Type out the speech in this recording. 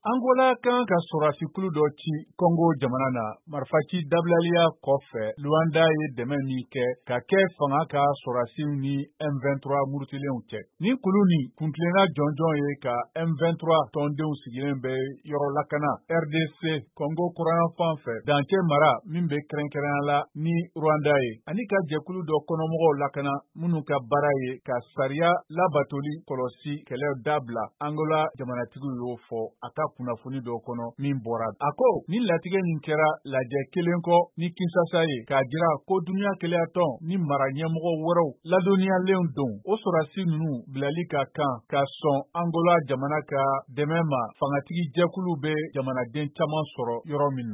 Angola kan ka sɔrɔdasikulu dɔ ci Congo jamana na, marifaci dabilaliya kɔfɛ, Luanda ye dɛmɛ min kɛ ka kɛ fanga ka sɔrɔdasiw ni M23 murutilenw cɛ. Ni kulu nin kuntilenna jɔnjɔn ye ka M23 tɔndenw sigilen bɛ yɔrɔ lakana RDC Congo kɔrɔnyanfan fɛ, dancɛ mara min bɛ kɛrɛnkɛrɛnya la ni Rwanda ye, ani ka jɛkulu dɔ kɔnɔmɔgɔw lakana minnu ka baara ye ka sariya labatoli kɔlɔsi kɛlɛ dabila. Angola jamanatigiw y'o fɔ a ka kunnafoni dɔ kɔnɔ min bɔra. A ko ni latigɛ nin kɛra lajɛ kelen kɔ ni Kinsasa ye, k'a jira ko duniya kelenyatɔn ni mara ɲɛmɔgɔ wɛrɛw ladɔnniyalenw don, o sɔrɔdasi ninnu bilali ka kan ka sɔn Angola jamana ka dɛmɛ ma, fangatigi jɛkulu bɛ jamanaden caman sɔrɔ yɔrɔ min na.